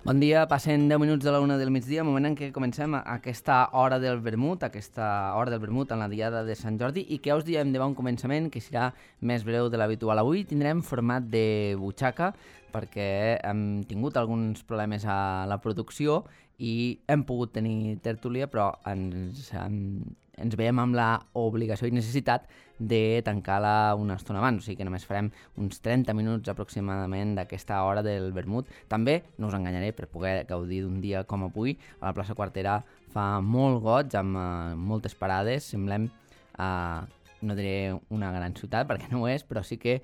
Bon dia, passen 10 minuts de la 1 del migdia, moment en què comencem aquesta hora del vermut, en la diada de Sant Jordi, i que us diem de bon començament que serà més breu de l'habitual. Avui tindrem format de butxaca perquè hem tingut alguns problemes a la producció i hem pogut tenir tertúlia, però ens veiem amb l'obligació i necessitat de tancar-la una estona abans, o sigui que només farem uns 30 minuts aproximadament d'aquesta hora del vermut. També, no us enganyaré, per poder gaudir d'un dia com avui, a la plaça Quartera fa molt goig, amb moltes parades, semblem, no diré una gran ciutat, perquè no ho és, però sí que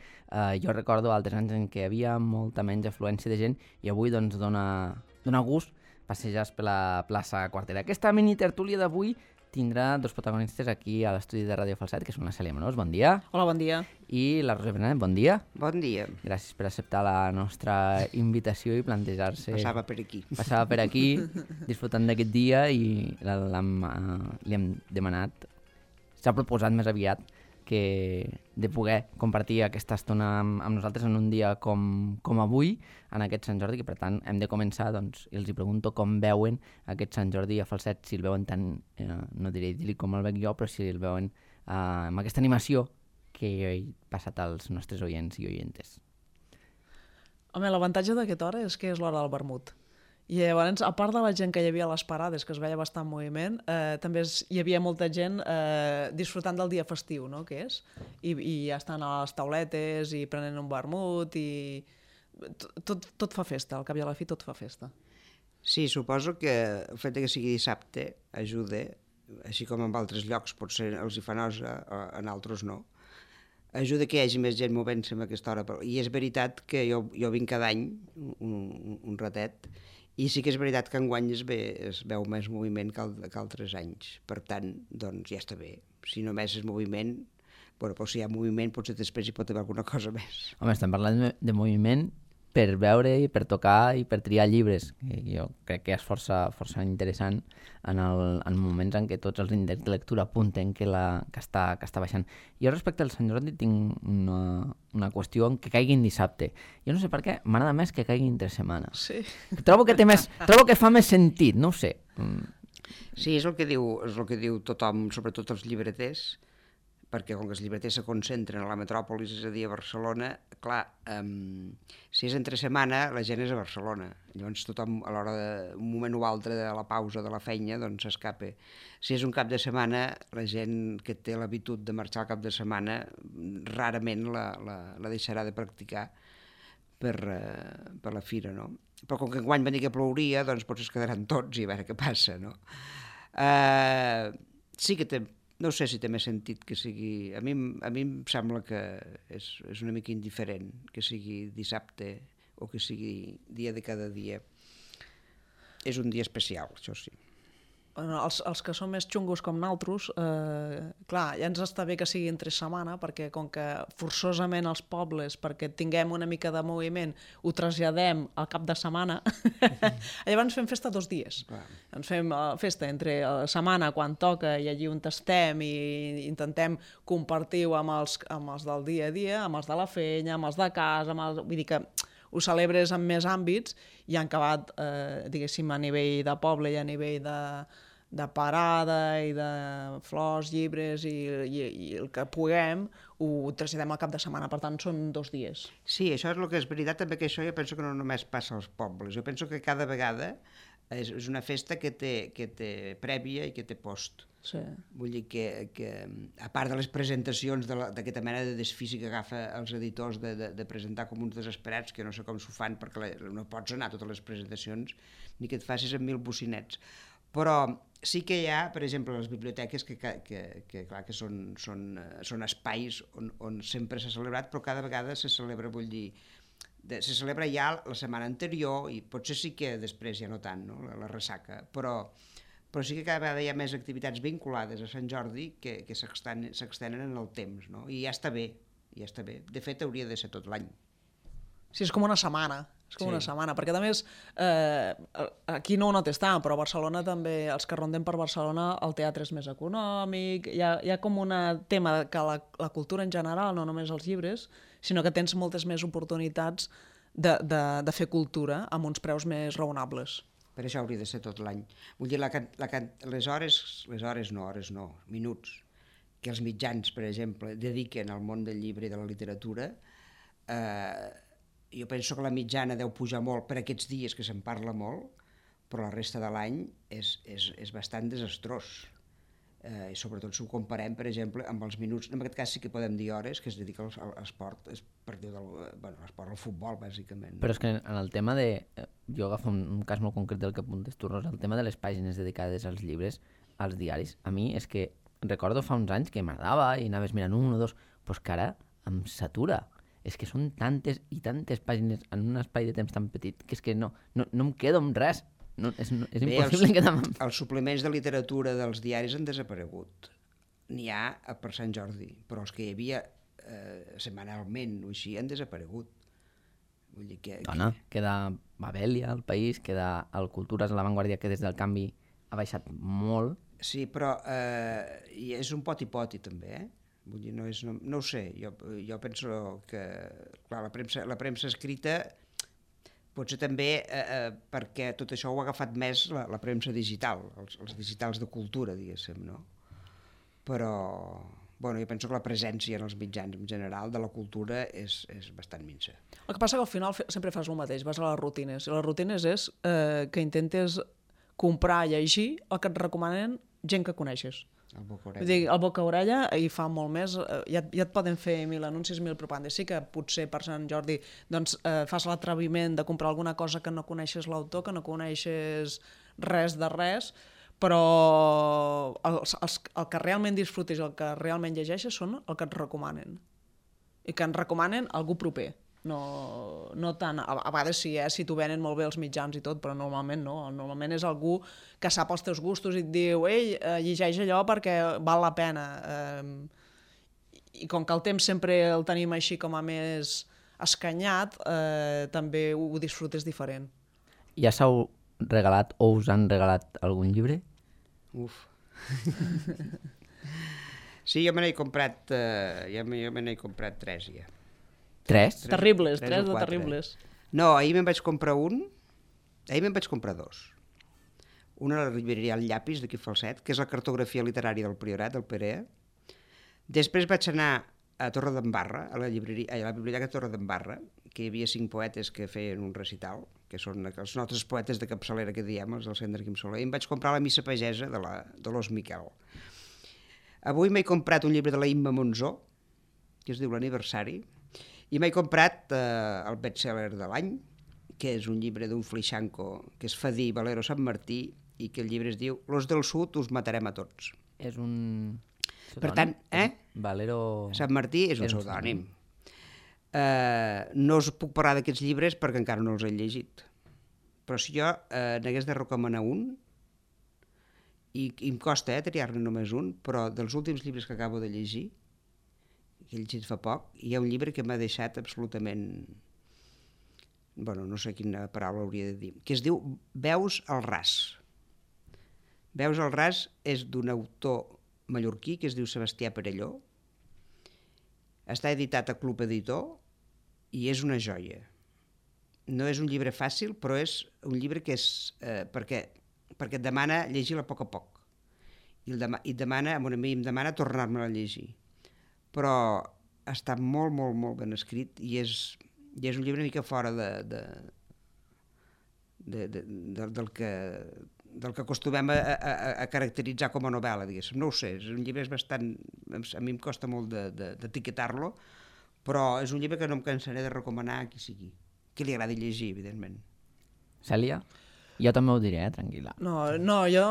jo recordo altres anys en què hi havia molta menys afluència de gent i avui doncs dona gust passejar per la plaça Quartera. Aquesta mini tertúlia d'avui tindrà dos protagonistes aquí a l'estudi de Ràdio Falset, que són la Cèlia Monós, bon dia. Hola, bon dia. I la Rosa Benet, bon dia. Bon dia. Gràcies per acceptar la nostra invitació i plantejar-se... Passava per aquí. Passava per aquí, disfrutant d'aquest dia i li hem demanat, s'ha proposat més aviat que de poder compartir aquesta estona amb nosaltres en un dia com avui, en aquest Sant Jordi, que per tant hem de començar, doncs, i els hi pregunto com veuen aquest Sant Jordi a Falset, si el veuen tan, no diré idíl·lic com el veig jo, però si el veuen amb aquesta animació que he passat als nostres oients i oientes. Home, l'avantatge d'aquesta hora és que és l'hora del vermut. I llavors, a part de la gent que hi havia a les parades, que es veia bastant moviment, també hi havia molta gent disfrutant del dia festiu, no?, que és, i ja estan a les tauletes i prenent un vermut i tot fa festa, al cap i a la fi tot fa festa. Sí, suposo que el fet que sigui dissabte ajuda, així com en altres llocs potser els hi fa nosa, en altres no, ajuda que hi hagi més gent movent-se a aquesta hora. I és veritat que jo vinc cada any, un ratet, i sí que és veritat que enguany es veu més moviment que altres anys. Per tant, doncs ja està bé. Si només és moviment, bueno, però si hi ha moviment potser després hi pot haver alguna cosa més. Home, estem parlant de moviment per veure i per tocar i per triar llibres, que jo crec que és força interessant en moments en què tots els índexs de lectura apunten que està baixant. Jo respecte al Sant Jordi tinc una qüestió en que caigui en dissabte. Jo no sé per què, m'agrada més que caigui entre setmana. Sí. Trobo que fa més sentit, no ho sé. Sí, és el que diu tothom, sobretot els llibreters, perquè com que els llibreters se concentren a la metròpolis, és a dir, a Barcelona, clar, si és entre setmana, la gent és a Barcelona. Llavors tothom, a l'hora d'un moment o altre de la pausa de la feina, doncs s'escapa. Si és un cap de setmana, la gent que té l'habitud de marxar al cap de setmana rarament la deixarà de practicar per la fira, no? Però com que enguany va dir que plouria, doncs potser es quedaran tots i a veure què passa, no? Sí que no sé si té més sentit que sigui... A mi em sembla que és una mica indiferent que sigui dissabte o que sigui dia de cada dia. És un dia especial, això sí. Bueno, els que són més xungos com naltros, clar, ja ens està bé que sigui entre setmana, perquè com que forçosament els pobles, perquè tinguem una mica de moviment, ho traslladem al cap de setmana, llavors fem festa 2 dies. Clar. Ens fem festa entre la setmana quan toca i allí on estem i intentem compartir-ho amb els del dia a dia, amb els de la feina, amb els de casa, vull dir que ho celebres en més àmbits i han acabat, diguéssim, a nivell de poble i a nivell de parada i de flors, llibres i el que puguem ho traslladem al cap de setmana, per tant són 2 dies. Sí, això és el que és veritat, també que això jo penso que no només passa als pobles, jo penso que cada vegada és una festa que té prèvia i que té post. Sí. Vull dir que a part de les presentacions d'aquesta mena de desfici que agafa els editors de presentar com uns desesperats, que no sé com s'ho fan perquè no pots anar a totes les presentacions ni que et facis amb 1000 bocinets, però sí que hi ha, per exemple, les biblioteques que clar que són espais on sempre s'ha celebrat, però cada vegada se celebra, vull dir, se celebra ja la setmana anterior i potser sí que després ja no tant, no? La ressaca, però sí que cada vegada hi ha més activitats vinculades a Sant Jordi que s'extenen en el temps, no? I ja està bé. De fet, hauria de ser tot l'any. Sí, és com una setmana. Una setmana, perquè a més aquí no ho notes tant, però a Barcelona també, els que ronden per Barcelona, el teatre és més econòmic, hi ha com un tema que la cultura en general, no només els llibres, sinó que tens moltes més oportunitats de fer cultura amb uns preus més raonables. Per això hauria de ser tot l'any. Vull dir, les hores no, minuts, que els mitjans, per exemple, dediquen al món del llibre i de la literatura, jo penso que la mitjana deu pujar molt per aquests dies que se'n parla molt, però la resta de l'any és bastant desastrós. I sobretot si ho comparem, per exemple, amb els minuts, en aquest cas sí que podem dir hores, que es dedica a l'esport, l'esport, al futbol, bàsicament. Però és que en el tema de... Jo agafo un cas molt concret del que apuntes tu, Rosa, el tema de les pàgines dedicades als llibres, als diaris, a mi és que recordo fa uns anys que m'agradava i anaves mirant un o dos, però és que ara em satura. És que són tantes i tantes pàgines en un espai de temps tan petit que és que no em quedo amb res. No, és impossible quedar amb... Els suplements de literatura dels diaris han desaparegut. N'hi ha per Sant Jordi, però els que hi havia setmanalment o així han desaparegut. Vull dir que... Dona, queda Babelia, el País, queda el Cultures a l'avantguàrdia, que des del canvi ha baixat molt. Sí, però és un poti-poti també, Vull dir, no ho sé, jo penso que clar, la premsa escrita potser també perquè tot això ho ha agafat més la premsa digital, els digitals de cultura, diguéssim, no? Però, bueno, jo penso que la presència en els mitjans en general de la cultura és bastant minsa. El que passa que al final sempre fas el mateix, vas a les rutines. I les rutines és que intentes comprar, llegir el que et recomanen gent que coneixes. El boca-orella. Vull dir, el boca-orella hi fa molt més, ja et poden fer 1.000 anuncis, 1.000 propagandes. Sí que potser per Sant Jordi doncs, fas l'atreviment de comprar alguna cosa que no coneixes l'autor, que no coneixes res de res, però el que realment disfrutis, el que realment llegeixes són el que et recomanen. I que en recomanen algú proper. No tant, a vegades sí, si t'ho venen molt bé els mitjans i tot, però normalment no, normalment és algú que sap els teus gustos i et diu ei, llegeix allò perquè val la pena. I com que el temps sempre el tenim així com a més escanyat, també ho disfrutes diferent. Ja s'heu regalat o us han regalat algun llibre? Uf. Sí, jo me n'he comprat, tres ja. Tres? Terribles, tres de terribles. No, ahir me'n vaig comprar dos. Una a la llibreria El Llapis, d'aquí Falset, que és la cartografia literària del Priorat, del Perea. Després vaig anar a Torredembarra, a la biblioteca de Torredembarra, que hi havia 5 poetes que feien un recital, que són els nostres poetes de capçalera que diem, els del Centre Quim Soler, i em vaig comprar la missa pagesa de l'Os Miquel. Avui m'he comprat un llibre de la Imma Monzó, que es diu L'Aniversari, i m'he comprat el bestseller de l'any, que és un llibre d'un Flixanco, que és Fadí Valero Sant Martí, i que el llibre es diu Los del Sud us matarem a tots. És un... Per tant, Valero... Sant Martí és un pseudònim. No us puc parlar d'aquests llibres perquè encara no els he llegit. Però si jo n'hagués de recomanar un, i em costa triar-ne només un, però dels últims llibres que acabo de llegir, que he llegit fa poc, hi ha un llibre que m'ha deixat absolutament... Bueno, no sé quina paraula hauria de dir, que es diu Veus al ras. Veus al ras és d'un autor mallorquí que es diu Sebastià Perelló. Està editat a Club Editor i és una joia. No és un llibre fàcil, però és un llibre que és... perquè et demana llegir-la a poc a poc. I em demana tornar-me a llegir. Però està molt, molt, molt ben escrit i és un llibre una mica fora del que acostumem a caracteritzar com a novel·la, diguéssim. No ho sé, és un llibre bastant... A mi em costa molt d'etiquetar-lo, però és un llibre que no em cansaré de recomanar a qui sigui. Qui li agradi llegir, evidentment. Cèlia? Jo també ho diré, tranquil·la. No, jo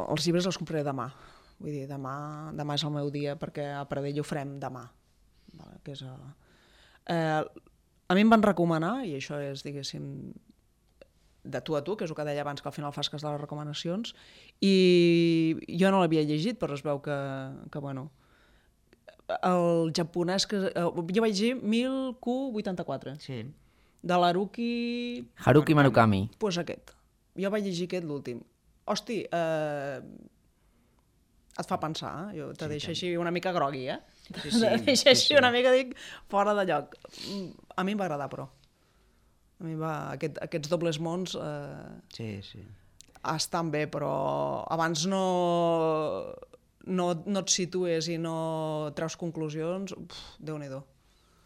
els llibres els compraré demà. Vull dir, demà és el meu dia perquè a Pradell ho farem demà. Que és, a mi em van recomanar, i això és, diguéssim, de tu a tu, que és el que deia abans, que al final fas cas de les recomanacions, i jo no l'havia llegit, però es veu que bueno, el japonès que... Jo vaig llegir 1000Q84. Sí. De l'Haruki... Haruki Murakami. Doncs aquest. Jo vaig llegir aquest, l'últim. Hosti, et fa pensar, jo te deixo així una mica grogui, Sí, te deixo així una mica, dic, fora de lloc. A mi em va agradar, però. A mi aquests dobles mons Sí, sí. estan bé, però abans no et situes i no treus conclusions, Déu-n'hi-do.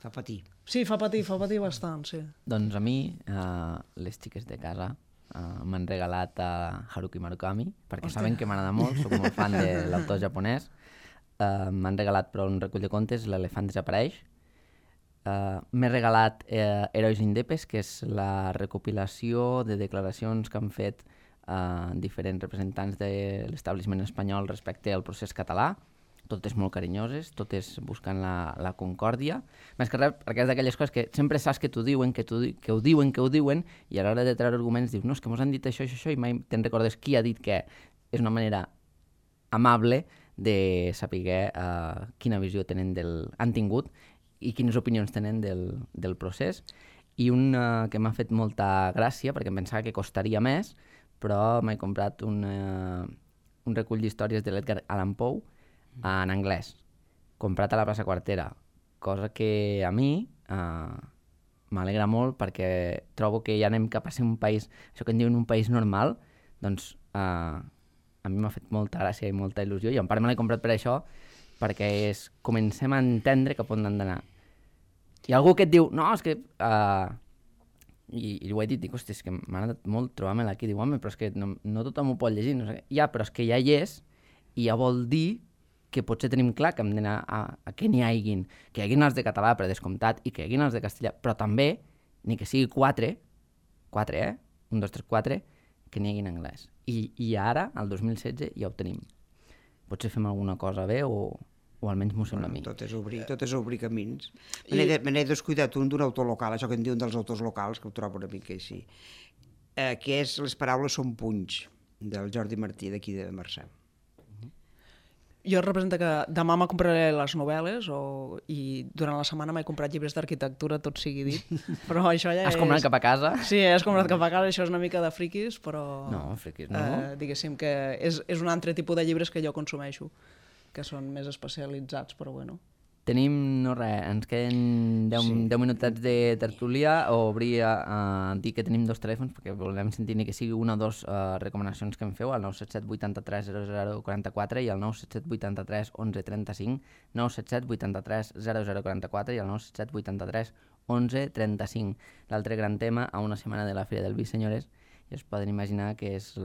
Fa patir. Sí, fa patir bastant, sí. Doncs a mi, les xiques de casa m'han regalat Haruki Murakami, perquè saben que m'agrada molt, soc molt fan de l'autor japonès. M'han regalat però un recull de contes, L'elefant desapareix. M'he regalat Herois Indepes, que és la recopilació de declaracions que han fet diferents representants de l'establishment espanyol respecte al procés català, totes molt carinyoses, totes buscant la concòrdia. Més que res, perquè és d'aquelles coses que sempre saps que t'ho diuen, que ho diuen, i a l'hora de treure arguments dius, no, és que mos han dit això, i mai te'n recordes qui ha dit què. És una manera amable de saber quina visió han tingut i quines opinions tenen del procés. I un que m'ha fet molta gràcia, perquè em pensava que costaria més, però m'he comprat un recull d'històries de l'Edgar Allan Poe en anglès, comprat a la plaça Quartera, cosa que a mi m'alegra molt perquè trobo que ja anem cap a ser un país, això que en diuen un país normal, doncs a mi m'ha fet molta gràcia i molta il·lusió, i en part me l'he comprat per això, perquè comencem a entendre cap on han d'anar. Hi ha algú que et diu, no, és que... I ho he dit, dic, hosti, és que m'ha agradat molt trobar-me-la aquí, diu, home, però és que no tothom ho pot llegir, no sé què. Ja, però és que ja hi és, i ja vol dir que potser tenim clar que hem d'anar a que n'hi haguin els de català per descomptat i que hi haguin els de castellà, però també, ni que sigui 4, 1, 2, 3, 4, que n'hi haguin anglès. I ara, al 2016, ja ho tenim. Potser fem alguna cosa bé o almenys m'ho sembla a mi. Tot és obrir camins. Me n'he descuidat un d'un autor local, això que en diuen dels autors locals, que ho trobo una mica així, que és Les paraules són punys, del Jordi Martí, d'aquí de Marçà. Jo representa que demà me compraré les novel·les i durant la setmana m'he comprat llibres d'arquitectura, tot sigui dit, però això ja Has comprat cap a casa? Sí, has comprat cap a casa, això és una mica de friquis, però... No, friquis no. Diguéssim que és un altre tipus de llibres que jo consumeixo, que són més especialitzats, però bueno. Tenim, no res, ens queden 10 minutets de tertúlia, o obrir a dir que tenim 2 telèfons, perquè volem sentir ni que sigui una o 2 recomanacions que em feu, al 977 83 0044 i al 977 83 11 35, 977 83 0044 i al 977 83 11 35. L'altre gran tema, a una setmana de la Fira del Vi, senyores, i es poden imaginar que és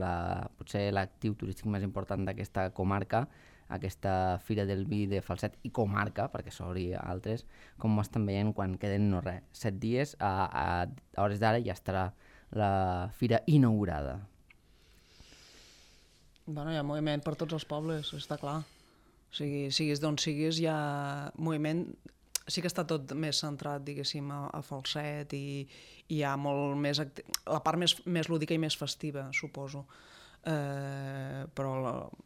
potser l'actiu turístic més important d'aquesta comarca, aquesta Fira del Vi de Falset i comarca, perquè s'obri altres, com ho estan veient quan queden 7 dies, a hores d'ara ja estarà la fira inaugurada. Bueno, hi ha moviment per tots els pobles, està clar. O sigui, siguis d'on siguis, hi ha moviment. Sí que està tot més centrat, diguéssim, a Falset i hi ha molt més... la part més lúdica i més festiva, suposo. Però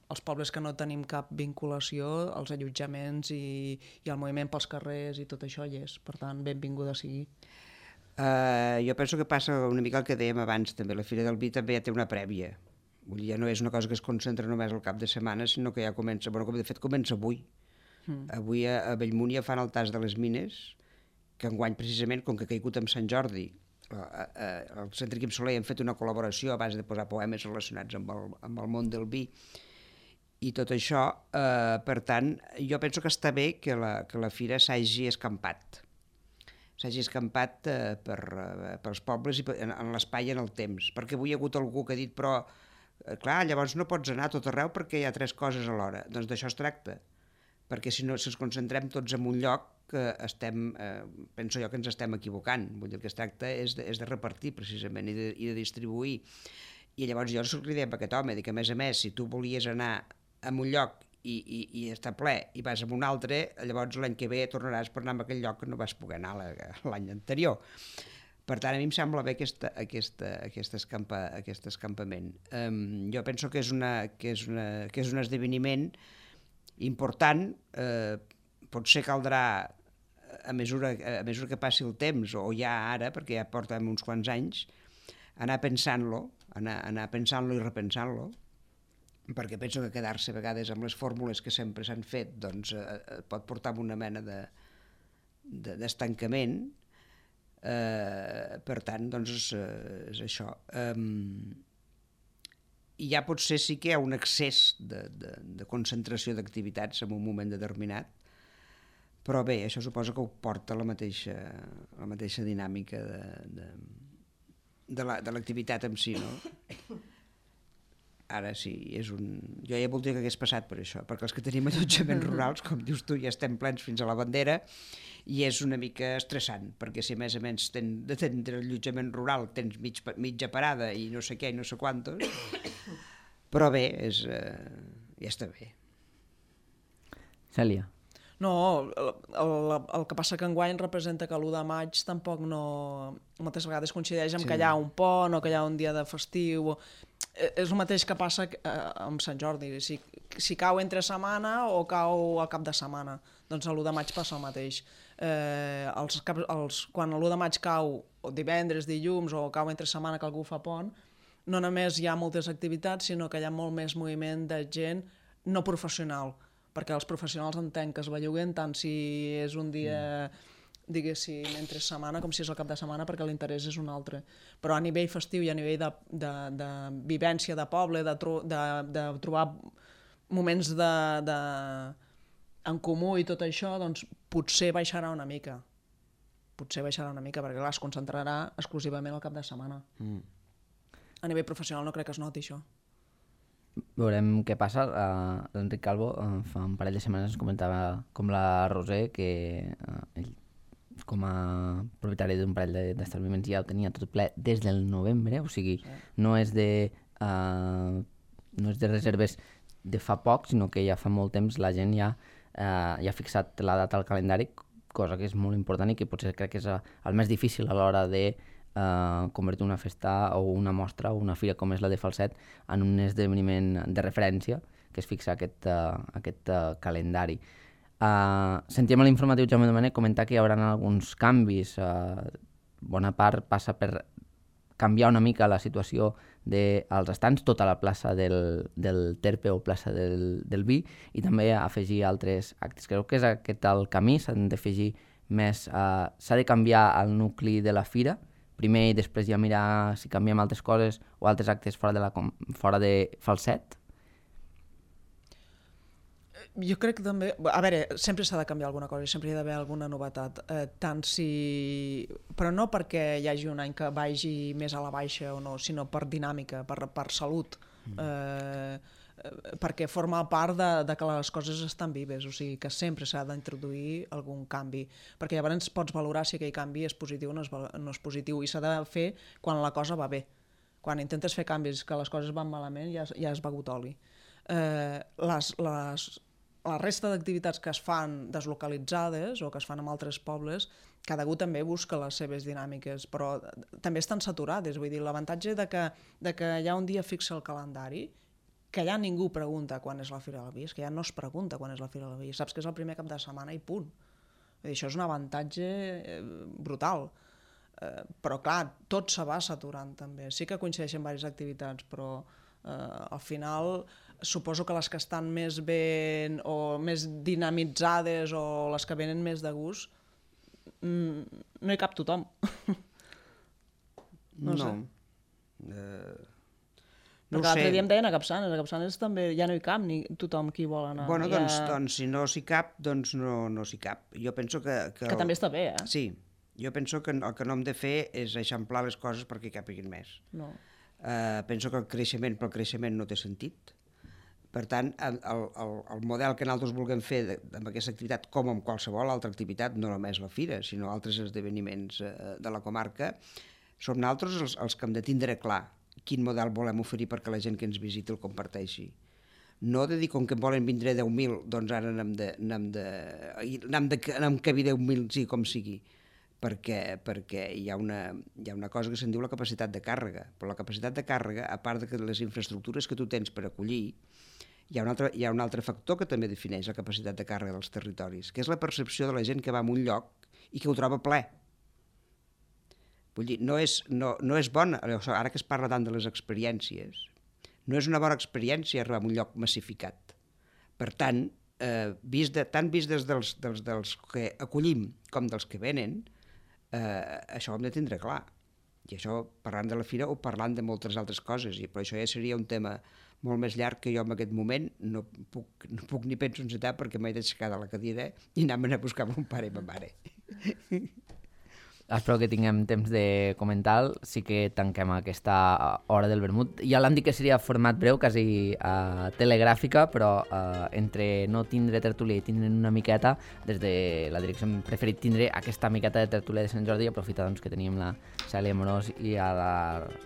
els pobles que no tenim cap vinculació, els allotjaments i el moviment pels carrers i tot això hi és, per tant, benvinguda sigui. Jo penso que passa una mica el que dèiem abans també, la Fira del Vi també ja té una prèvia, vull dir, ja no és una cosa que es concentra només al cap de setmana, sinó que ja comença, bueno, de fet comença avui. Avui a Bellmunt ja fan el tas de les mines, que enguany precisament, com que ha caigut amb Sant Jordi, el Centre Quim Soler han fet una col·laboració a base de posar poemes relacionats amb el món del vi i tot això, per tant, jo penso que està bé que la fira s'hagi escampat pels pobles i en l'espai i en el temps, perquè avui hi ha hagut algú que ha dit, però clar, llavors no pots anar a tot arreu perquè hi ha 3 coses alhora. Doncs d'això es tracta, perquè si ens concentrem tots en un lloc, penso jo que ens estem equivocant. Vull dir, el que es tracta és de repartir precisament i de distribuir. I llavors jo li deia a aquest home, que a més, si tu volies anar a un lloc i està ple i vas a un altre, llavors l'any que ve tornaràs per anar a aquell lloc que no vas poder anar l'any anterior. Per tant, a mi em sembla bé aquest escampament. Jo penso que és un esdeveniment important. Potser caldrà, a mesura que passi el temps, o ja ara, perquè ja portem uns quants anys, anar pensant-lo i repensant-lo, perquè penso que quedar-se a vegades amb les fórmules que sempre s'han fet pot portar a una mena d'estancament. Per tant, doncs és això. I ja potser sí que hi ha un excés de concentració d'activitats en un moment determinat, però bé, això suposa que ho porta la mateixa dinàmica de l'activitat en si, no? Ara sí, jo ja voldria que hagués passat per això, perquè els que tenim allotjaments rurals, com dius tu, ja estem plens fins a la bandera i és una mica estressant, perquè si a més de tindre allotjament rural tens mitja parada i no sé què i no sé quantos, però bé, ja està bé. Cèlia. No, el que passa que enguany representa que l'1 de maig tampoc moltes vegades coincideix amb que hi ha un pont o que hi ha un dia de festiu. És el mateix que passa amb Sant Jordi. Si cau entre setmana o cau al cap de setmana, doncs l'1 de maig passa el mateix. Quan l'1 de maig cau divendres, dilluns o cau entre setmana que algú fa pont, no només hi ha moltes activitats, sinó que hi ha molt més moviment de gent no professional, perquè els professionals entenc que es belluguen tant si és un dia, diguéssim, entre setmana com si és el cap de setmana, perquè l'interès és un altre. Però a nivell festiu i a nivell de vivència de poble, de trobar moments en comú i tot això, doncs potser baixarà una mica. Perquè clar, es concentrarà exclusivament al cap de setmana. A nivell professional no crec que es noti això. Veurem què passa. L'Enric Calvo fa un parell de setmanes ens comentava com la Roser, que ell com a propietari d'un parell d'establiments ja ho tenia tot ple des del novembre, o sigui, no és de reserves de fa poc, sinó que ja fa molt temps la gent ja ha fixat la data al calendari, cosa que és molt important i que potser crec que és el més difícil a l'hora de convertir una festa o una mostra o una fira com és la de Falset en un esdeveniment de referència que es fixa aquest calendari. Sentíem a l'informatiu Jaume Domènech comentar que hi haurà alguns canvis. Bona part passa per canviar una mica la situació dels estants, tota la plaça del Terpe o plaça del Vi, i també afegir altres actes. Crec que és aquest el camí, s'han d'afegir més, s'ha de canviar el nucli de la fira, primer i després ja mirar si canviem altres coses o altres actes fora de Falset. Jo crec que també... A veure, sempre s'ha de canviar alguna cosa i sempre hi ha d'haver alguna novetat. Però no perquè hi hagi un any que vagi més a la baixa o no, sinó per dinàmica, per salut. Perquè forma part de que les coses estan vives, o sigui que sempre s'ha d'introduir algun canvi, perquè llavors pots valorar si aquell canvi és positiu o no és positiu, i s'ha de fer quan la cosa va bé. Quan intentes fer canvis que les coses van malament ja has begut oli. La resta d'activitats que es fan deslocalitzades o que es fan en altres pobles, cada un també busca les seves dinàmiques, però també estan saturades. Vull dir, l'avantatge de que hi ha un dia fixe al calendari, que ja ningú pregunta quan és la Fira del Vi, és que ja no es pregunta quan és la Fira del Vi, saps que és el primer cap de setmana i punt. Vull dir, això és un avantatge brutal. Però clar, tot se va saturant també. Sí que coincideixen diverses activitats, però al final suposo que les que estan més ben o més dinamitzades o les que venen més de gust, no hi cap tothom. No sé. Perquè l'altre dia em deien a Capçanes també ja no hi cap ni tothom qui vol anar. Bueno, doncs si no s'hi cap, doncs no s'hi cap. Jo penso que també està bé, eh? Sí, jo penso que el que no hem de fer és eixamplar les coses perquè hi capiguin més. No. Penso que el creixement no té sentit. Per tant, el model que nosaltres vulguem fer amb aquesta activitat, com amb qualsevol altra activitat, no només la fira, sinó altres esdeveniments de la comarca, som nosaltres els que hem de tindre clar quin model volem oferir perquè la gent que ens visiti el comparteixi. No de dir, com que en volen vindre 10.000, doncs ara n'hem de cabir 10.000, sí, com sigui, perquè hi ha una cosa que se'n diu la capacitat de càrrega, però la capacitat de càrrega, a part de les infraestructures que tu tens per acollir, hi ha un altre factor que també defineix la capacitat de càrrega dels territoris, que és la percepció de la gent que va a un lloc i que ho troba ple. Vull dir, no és bona, ara que es parla tant de les experiències, no és una bona experiència arribar a un lloc massificat. Per tant, tant vist des dels que acollim com dels que venen, això ho hem de tindre clar. I això parlant de la fira o parlant de moltes altres coses, i per això ja seria un tema molt més llarg que jo en aquest moment no puc ni penso encetar perquè m'he d'aixecar de la cadira i anar-me'n a buscar mon pare i ma mare. Espero que tinguem temps de comentar. Sí que tanquem aquesta hora del vermut. Ja l'han dit que seria format breu, quasi telegràfica, però entre no tindre tertúlia i tindre una miqueta, des de la direcció hem preferit tindre aquesta miqueta de tertúlia de Sant Jordi i aprofitar doncs, que teníem la Cèlia Amorós i a la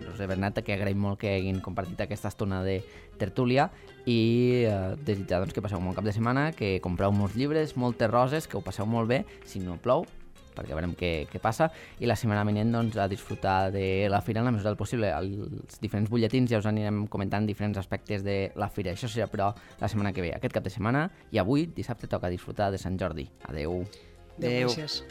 Roser Bernat, que agraïm molt que hagin compartit aquesta estona de tertúlia i desitjar doncs, que passeu un bon cap de setmana, que compreu molts llibres, moltes roses, que ho passeu molt bé, si no plou, perquè veurem què passa, i la setmana vinent doncs, a disfrutar de la fira en la mesura del possible. Els diferents butlletins ja us anirem comentant diferents aspectes de la fira. Això serà, però, la setmana que ve, aquest cap de setmana, i avui, dissabte, toca disfrutar de Sant Jordi. Adeu. Adeu. Gràcies.